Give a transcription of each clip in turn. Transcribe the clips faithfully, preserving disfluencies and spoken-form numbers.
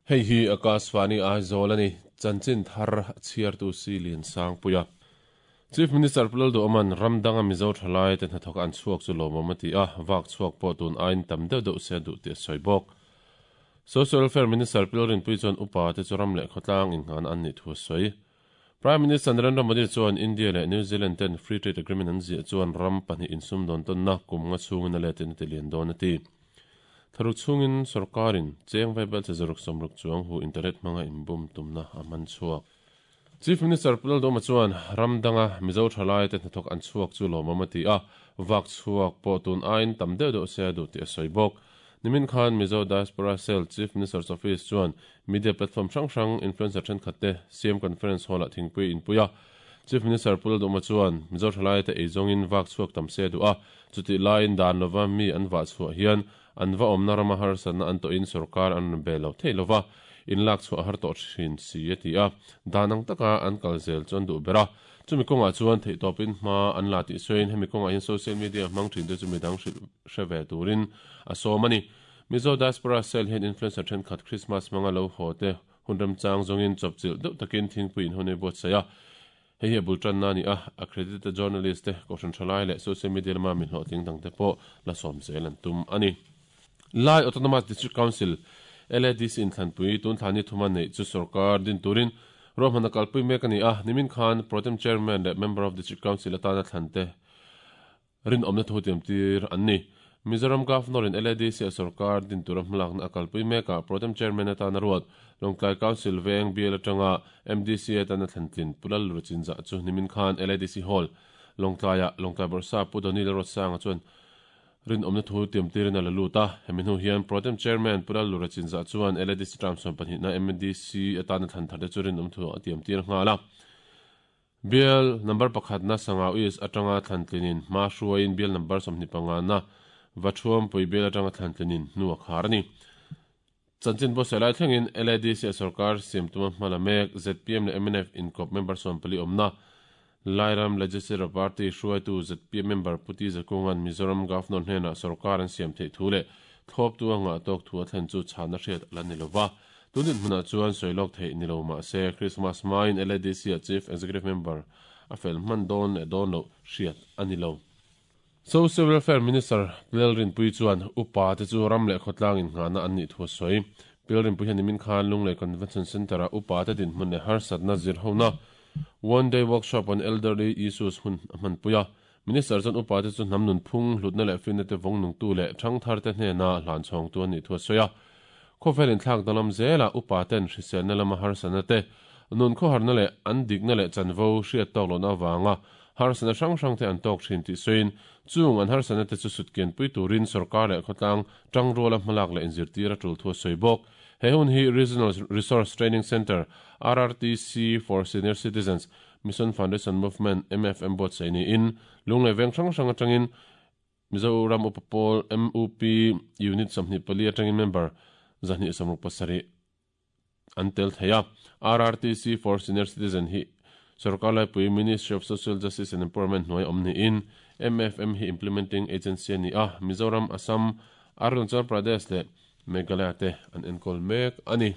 Hei hi Akashvani Aizawl ani chanchin thar chhiar tu silin sangpuia. Chief Minister Pulal do aman ramdanga Mizo thalai te hnathawk an chhuak chu lawmawm ati a vak chhuak pawh tun ain tam deuh deuh se duh te sawi bawk. Social Welfare Minister Pilrin Pui chuan upa te churam leh khawtlang in ngan an ni thu sawi. Prime Minister Narendra Modi chuan India leh New Zealand ten Free Trade Agreement an zia chuan ram pahnih insum dawn tawn na kum nga chhungin a letin ti lian dawn ati. Tharuk chhungin sarkarin cheng vaibel che zaruk somruk chuang hu internet hmanga inbum tumna a man chhuak. Chief Minister Pulal Doma chuan ramdanga Mizo thalai te hnathawk an chhuak chu lawmawm ati a vak chhuak pawh tun ain tam deuh deuh se duh tih a sawi bawk. Nimin Khan Mizo Diaspora Cell Chief Minister's Office chuan media platform hrang hrang influencer thenkhat te C M Conference Hall ah thingpui inpuia. Chief Minister Pulal Doma chuan Mizo thalai te eizawngin vak chhuak tam se duh a chuti laiin dan lova mi an vah chhuah hian an va awmna rama harsatna an tawhin sarkar an be lo thei lova in lak chhuah har tawh thin si a ti a danang taka an kal zel chuan duh bera chumi kawngah chuan theih tawpin hma an la tih sawiin hemi kawngah hian social media hmang thin te chu midang hre ve turin a sawm ani. Mizo Diaspora Cell hian influencer thenkhat Christmas hmanga lo haw te hun remchang zawngin chawpchilh deuh takin thingpui in hun ei buat saih a hei hi a bul tan na ni a accredited journalist te kohhran thalai leh social media lama mi hlawhtling dang te pawh la sawm zel an tum ani. Lai Autonomous District Council L A D C in thlanpui tun thlani thuma nei chu sarkar din turin rohmana kalpui mek ani a nimin khan Protem Chairman leh Member of District Council atana thlante rin awmna thu tiam tir an ni. Mizoram Governor in L A D C a sarkar din tura hmalakna a kalpui meka Protem Chairman atana ruat Lawngtlai Council veng bial atanga M D C atana thlantlin Pulal Ruchinza chu nimin khan L A D C Hall Lawngtlaia Lawngtlai Borsa Pu Donil Rotsanga chuan rin awmna thu tiam tirin a la lut a hemi hnu hian Protem Chairman Pulal Lurachinza chuan L A D C term sawm pahnih na M D C atana thlan thar te chu rin awm thu a tiam tir nghal a. Bial number pakhat na sanga uis atanga thlantlinin hma hruaiin bial number sawmhnih panga na vathuam pui bial atanga thlantlinin hnu a khar ani. Chanchin bo selai thlengin L A D C a sarkar siam tuma hmala mek Z P M leh M N F inkawp member sawm pali awmna Lairam Legislative Party hruaitu Z P M member Puti Zakungan Mizoram Governor hnena sarkar an siam theih thu leh thlawp tu anga tawk thu a thlen chu chhana hriat la ni lova. Tunin hmunah chuan sawilawk theih ni lo mah se Christmas hmain L A D C a Chief Executive Member a fel hman dawn leh dawn loh hriat ani lo. Social Welfare Minister Pilrin Pui chuan upa te chu ram leh khawtlang in nghana an nih thu a sawi. Pilrin Pui hian nimin khan Lunglei Convention Centre a upa te din hmun leh harsatna zir hona One Day Workshop on Elderly Issues hun a hman puia. Minister chuan upa te chu hnam nun phung hlutna leh finna te vawng nung tu leh thang thar te hnena hlan chhawng tu an nih thu a sawi a. Khawvelin thlak dalam zela upa ten hriselna lama harsatna te nun khawharna leh an dikna leh chanvo hriat tawk lohna avanga harsatna hrang hrang te an tawk thin tih sawiin chung an harsatna te chu sutkian pui turin sarkar leh khawtlang tang ruala hmalak leh inzirtir a tul thu a sawi bawk. He hun hi Regional Resource Training Center R R T C for Senior Citizens Mission Foundation Movement M F M buat saih niin Lunglei veng hrang hrang atangin Mizoram Upa Pawl M U P Unit sawmhnih pali atangin member zahnih samruk pasarih an tel thei a. R R T C for Senior Citizen hi sarkar laipui Ministry of Social Justice and Empowerment hnuai awm niin M F M hi implementing agency ani a. Mizoram, Assam, Arunachal Pradesh leh Meghalaya te an enkawl mek ani.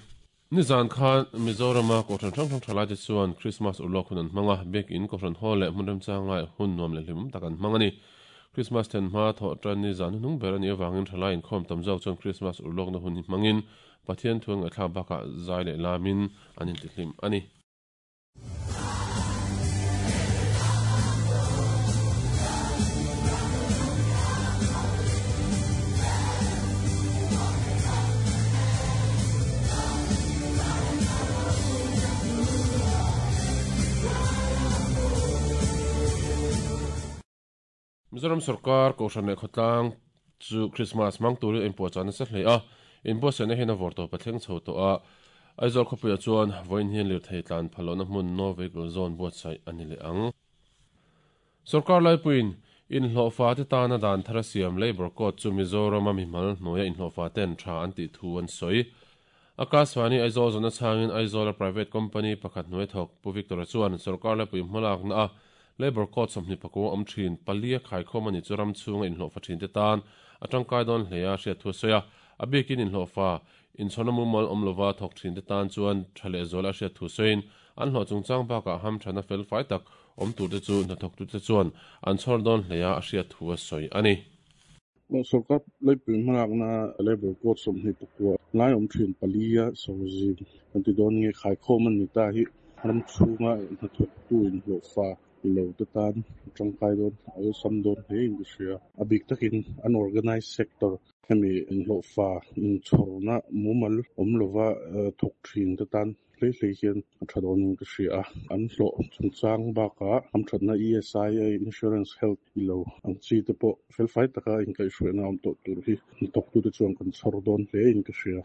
Nizan khan Mizorama kohhran hrang hrang thalai te chuan Christmas urlawk hun an hmanga biak in kohhran hall leh hmun remchang lai hun nuam leh hlim tak an hmang ani. Christmas then hma thawh tan ni zan hnung ber ani awangin thalai inkhawm tam zawk chuan Christmas urlawk na hun hi hmangin Pathian thuang a thla bakah zai leh lamin an intihlim ani. Mizoram sarkar kohhran leh khawtlang chu Christmas hmang turin in puahchah nasa hle a in buatsaihna hian a vawr tawp a thleng chho tawh a. Aizawl khawpuiah chuan vawiin hian lirthei tlan phallohna hmun no vehicle zone buatsaih ani leh ang. Sarkar laipuiin in hlawhfa te tana dan thar a siam Labour Code chu Mizoram a mihmal hnuaia in hlawhfa ten tha an tih thu an sawi. Akashvani Aizawl zawna chhangin Aizawl a private company pakhat hnuai thawk Pu Victor chuan sarkar laipui hmalakna a Labour Code sawmhnih pakua awm thin palia khaikhawm ani chu ram chhunga in hlawhfa thin te tan atangkai dawn hle a hriat thu a sawi a. A bikin in hlawhfa In chhona mumal awm lova thawk thin te tan chuan tha leh zual a hriat thu sawiin an hlawh chungchang bakah hamthana fel fai tak awm tur te chu hnathawk tu te chuan an chhawr dawn hlea a hriat thu a sawi ani. Sarkar leipui hmalakna Labour Code sawmhnih pakua lai awm thin palia sawzim kan ti dawn nge khaikhawm an ni ta hi ram chhunga hnathawktu inhlawhfa lo te tan tangkai dawn awlsam dawn hle in ka hria. A bik takin unorganized sector hemi inhlawhfa inchhawrna mumal awm lova thawk thin te tan hlei hlei hian a tha dawn in ka hria a. An hlawh chungchang bakah hamthatna E S I insurance, health ilo ang chi te pawh felfai taka inkaihhruaina awm tawh tur hi hnathawktu te chuan kan chhawr dawn hle in ka hria.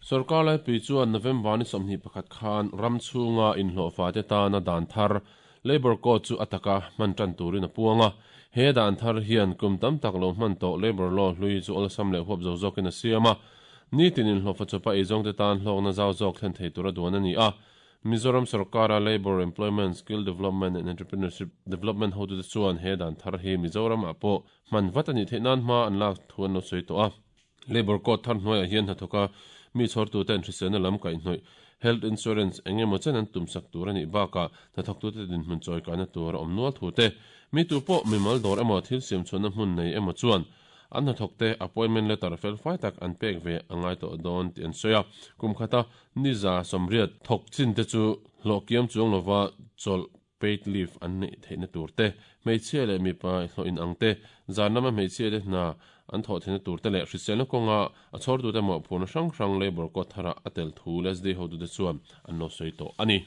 Sarkar laipui chuan November ni sawmhnih pakhat khan ram chhunga inhlawhfa te tana dan thar Labour Code chu ataka hman tan turin a puanga. He dan thar hian kum tam tak lo hman tawh Labour Law hlui chu awlsam leh huap zo zawkin a siama. Ni tin inhlawhfa chawpa eizawng te tan hlawkna zau zawk thlen thei tura duan ani a. Mizoram Sarkara Labour, Employment, Skill Development and Entrepreneurship Development hotu te chuan he dan thar hi Mizoram ah pawh hman vat ani theih nan hma an lak thu an lo sawi tawh a. Labour Code thar hnuaiah hian hnathawka mi chhawrtu ten hriselna lam kaihhnawih health insurance engemaw chen an tumsak tur ani bakah hnathawktu te dinhmun chawi kaina tur a awm nual thu te, mi tu pawh mimal dawr emaw thil siam chhuahna hmun nei emaw chuan an hnathawk te appointment letter fel fai tak an pek ve angai tawh dawn tih an sawi a. Kum khata ni za sawmriat thawk chin te chu hlawh kiam chuang lova chawlh paid leave an neih theihna tur te, hmeichhia leh mipa hlawh in ang te, zan lama hmeichhia te hna an thawh theihna tur te leh hriselna kawnga a chhawrtu te mawhphurhna hrang hrang Labour Code thara a tel thu L S D hotu te chuan an lo sawi tawh ani.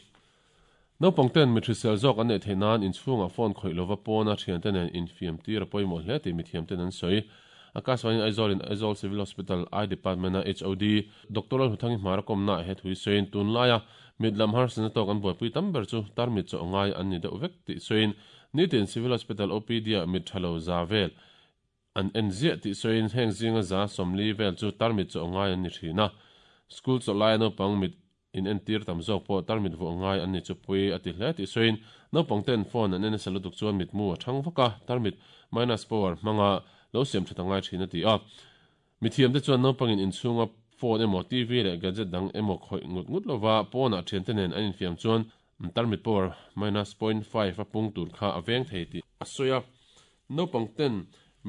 Naupang ten mi hrisel zawk an neih theih nan inchhunga phone khawih lova pawna thian te nen infiam tir a pawimawh hle tih mithiam ten an sawi. Akashvani Aizawl in Aizawl Civil Hospital Eye Department a H O D Doctor Huthangi hmara komna he thui sawiin tun laia mit lam harsatna tawk an buaipui tam ber chu tarmit chaw ngai an ni deuh vek tih sawiin nitin Civil Hospital O P D ah mit thalo za vel an en ziah tih sawiin heng zinga za sawmli vel chu tarmit chaw ngai an ni thin a. School chaw lai naupang mit in en tir tam zawk pawh tarmit vuah ngai an ni chu pui a ti hle tih sawiin naupang ten phone an en nasa lutuk chuan mit mu a thang vaka, tarmit minus power hmanga lo siam tha ngai thin a ti a. Mithiam te chuan naupangin inchhunga phone emaw T V leh gadget dang emaw khawih ngut ngut lova pawnah thian te nen an infiam chuan tarmit power minus point five a pung tur kha a veng thei tih a sawi a. Naupang ten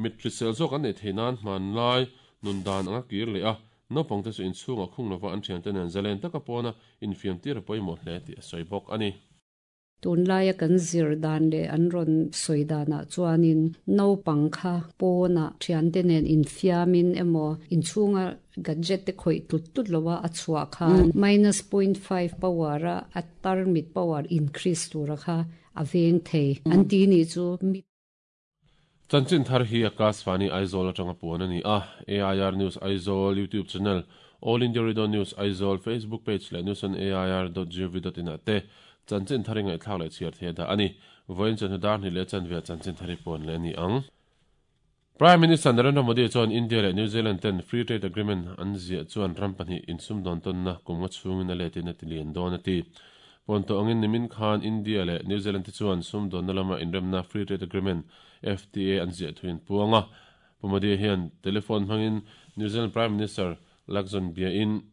mit hrisel zawk an neih theih nan hmanlai nun dan anga kir leh a, naupang te chu inchhunga khung lova an thian te nen zalen taka pawna infiam tir a pawimawh hle tih a sawi bawk ani. Tunlaia kan zir dan leh an rawn sawi danah chuanin naupang kha pawna thian te nen infiamin emaw inchhunga gadget te khawih tlut tlut lova a chhuah khan minus point five power a a tarmit power increase tura kha a veng thei an ti ni chu mi. Chanchin thar hi Akashvani Aizawl atanga puan ani a. A I R News Aizawl YouTube channel, All India Radio News Aizawl Facebook page leh news on A I R dot gov dot in te chanchin thari ngai thlak leh chhiar the da ani. Voin chan dar ni le chan ve chanchin thari puan le ni ang. Prime Minister Narendra Modi chuan India leh New Zealand ten Free Trade Agreement an zia chuan ram pahnih insum dawn ton na kumnga chhungin a letin a tilian dawn ati. Ponto angin nimin khan India leh New Zealand te chuan sum dawn na lama inremna Free Trade Agreement F T A an zia thuin puanga. Modi hian telephone hmangin New Zealand Prime Minister Luxon bia in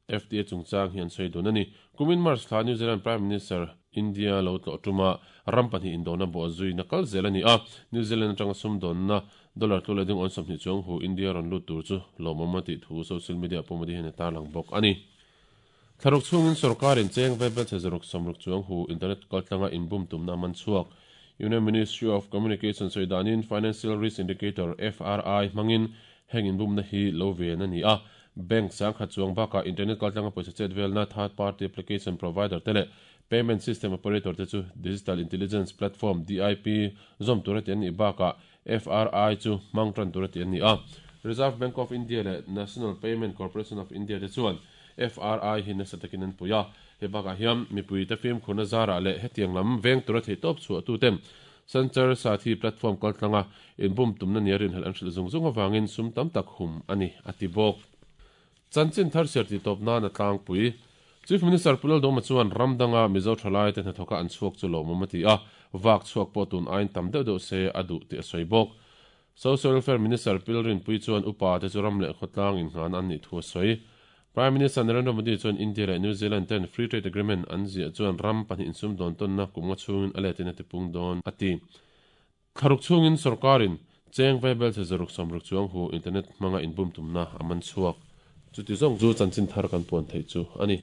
F T A chungchang hian sawi dun ani. Kumin March thla New Zealand Prime Minister India lo tlo tuma ram pahnih indona bo zui na kal zel ani a. New Zealand atanga sum dawn na dollar tu leding on sawmhnih chuang hu India ron lut tur chu lawmawm ti thu social media pawh Modi hian tar lang bawk ani. Thlaruk chungin sarkarin cheng vaibel che zaruk samruk chuang hu internet kaltlanga inbum tumna man chuak. Union Ministry of Communication soidanin Financial Risk Indicator F R I hmangin heng inbum na hi lo ve na ni a. Bank sang khat chuang baka internet kaltlanga poisa chet velna third party application provider tele payment system operator te chu Digital Intelligence Platform D I P zom tura ti an ni baka F R I chu mang tran tura ti an ni a. Reserve Bank of India le National Payment Corporation of India te chuan F R I hi nasa takin an puia. He baka hiam mipui te film khuna zara le hetiang lam veng tura thei top chu tu tem Sanchar Sathi platform kaltlanga inbum tumna niarin hel an hril zung zung awangin sum tam tak hum ani ati bawk. Chanchin thar ser ti top na na tlang pui. Chief Minister Pulal Doma chuan ramdanga Mizo thalai te hnathawka an chhuak chu lawmawm a ti a, vak chhuak pawh tun aiin tam deuh deuh se a duh tih a sawi bawk. Social Welfare Minister Pilrin Pui chuan upa te chu ram leh khawtlang in hnan an nih thu a sawi. Prime Minister Narendra Modi chuan India leh New Zealand ten Free Trade Agreement an ziah chuan ram pahnih insum dawn tawnna kum nga chhungin a letin a tipung dawn a ti. Thlaruk chhungin sorkarin cheng vaibel chhe zaruk sawmruk chuang hu internet hmanga inbum tumna a man chhuak. Chuti zawng chu chanchin thar kan puan theih chu a ni.